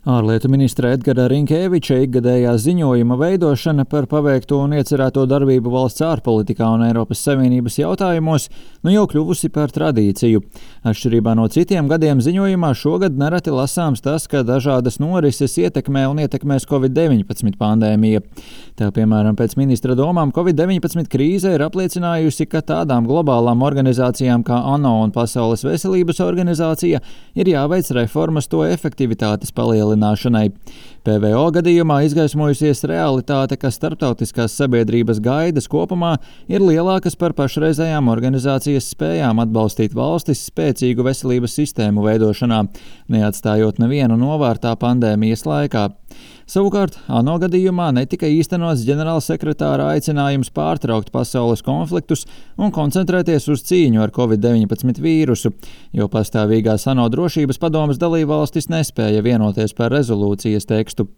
Ārlietu ministra Edgara Rinkēviča ikgadējā ziņojuma veidošana par paveikto un iecerēto darbību valsts ārpolitikā un Eiropas Savienības jautājumos jau kļuvusi par tradīciju. Atšķirībā no citiem gadiem ziņojumā šogad nereti lasāms tas, ka dažādas norises ietekmē un ietekmēs Covid-19 pandēmija. Tā, piemēram, pēc ministra domām Covid-19 krīze ir apliecinājusi, ka tādām globālām organizācijām kā ANO un Pasaules veselības organizācija ir jāveic reformas to efektivitātes palielināšanai. PVO gadījumā izgaismojusies realitāte, ka starptautiskās sabiedrības gaidas kopumā ir lielākas par pašreizējām organizācijas spējām atbalstīt valstis spēcīgu veselības sistēmu veidošanā, neatstājot nevienu novārtā pandēmijas laikā. Savukārt, ANO gadījumā netika īstenots ģenerālsekretāra aicinājums pārtraukt pasaules konfliktus un koncentrēties uz cīņu ar Covid-19 vīrusu, jo pastāvīgās ANO drošības padomes dalībvalstis nespēja vienoties par rezolūcijas tekstu.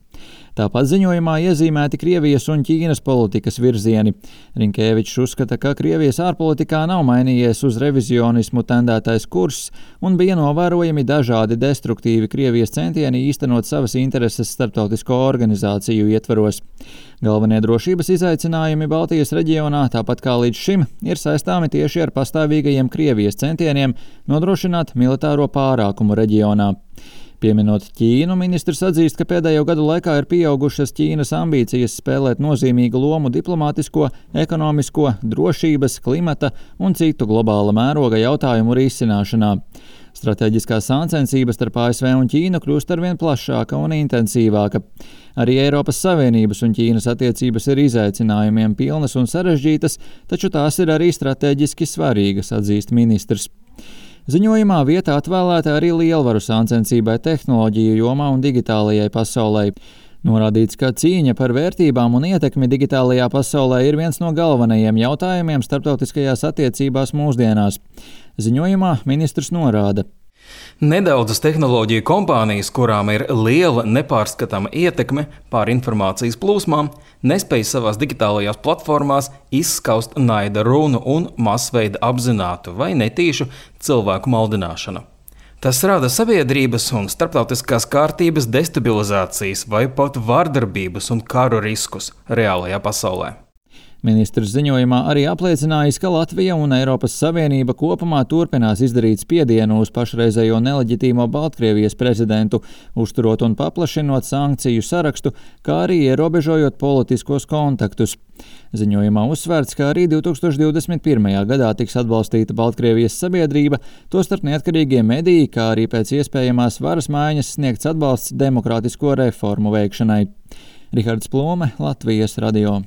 Tāpat ziņojumā iezīmēti Krievijas un Ķīnas politikas virzieni. Rinkēvičs uzskata, ka Krievijas ārpolitikā nav mainījies uz revizionismu tendētais kurss un bija novērojami dažādi destruktīvi Krievijas centieni īstenot savas intereses starptautisko organizāciju ietvaros. Galvenie drošības izaicinājumi Baltijas reģionā, tāpat kā līdz šim, ir saistāmi tieši ar pastāvīgajiem Krievijas centieniem nodrošināt militāro pārākumu reģionā. Pieminot Ķīnu, ministrs atzīst, ka pēdējo gadu laikā ir pieaugušas Ķīnas ambīcijas spēlēt nozīmīgu lomu diplomātisko, ekonomisko, drošības, klimata un citu globāla mēroga jautājumu risināšanā. Stratēģiskā sāncensība starp ASV un Ķīnu kļūst arvien plašāka un intensīvāka. Arī Eiropas Savienības un Ķīnas attiecības ir izaicinājumiem pilnas un sarežģītas, taču tās ir arī stratēģiski svarīgas, atzīst ministrs. Ziņojumā vieta atvēlēta arī lielvaru sāncensībai tehnoloģiju jomā un digitālajai pasaulē. Norādīts, ka cīņa par vērtībām un ietekmi digitālajā pasaulē ir viens no galvenajiem jautājumiem starptautiskajās attiecībās mūsdienās. Ziņojumā ministrs norāda: Nedaudzas tehnoloģiju kompānijas, kurām ir liela nepārskatāma ietekme pār informācijas plūsmām, nespēj savās digitālajās platformās izskaust naida runu un masveida apzinātu vai netīšu cilvēku maldināšanu. Tas rada sabiedrības un starptautiskās kārtības destabilizācijas vai pat vardarbības un karu riskus reālajā pasaulē. Ministrs ziņojumā arī apliecinājis, ka Latvija un Eiropas Savienība kopumā turpinās izdarīt spiedienu uz pašreizējo neleģitīmo Baltkrievijas prezidentu, uzturot un paplašinot sankciju sarakstu, kā arī ierobežojot politiskos kontaktus. Ziņojumā uzsvērts, ka arī 2021. gadā tiks atbalstīta Baltkrievijas sabiedrība, tostarp neatkarīgie mediji, kā arī pēc iespējamās varas maiņas sniegts atbalsts demokrātisko reformu veikšanai. Rihards Plome, Latvijas radio.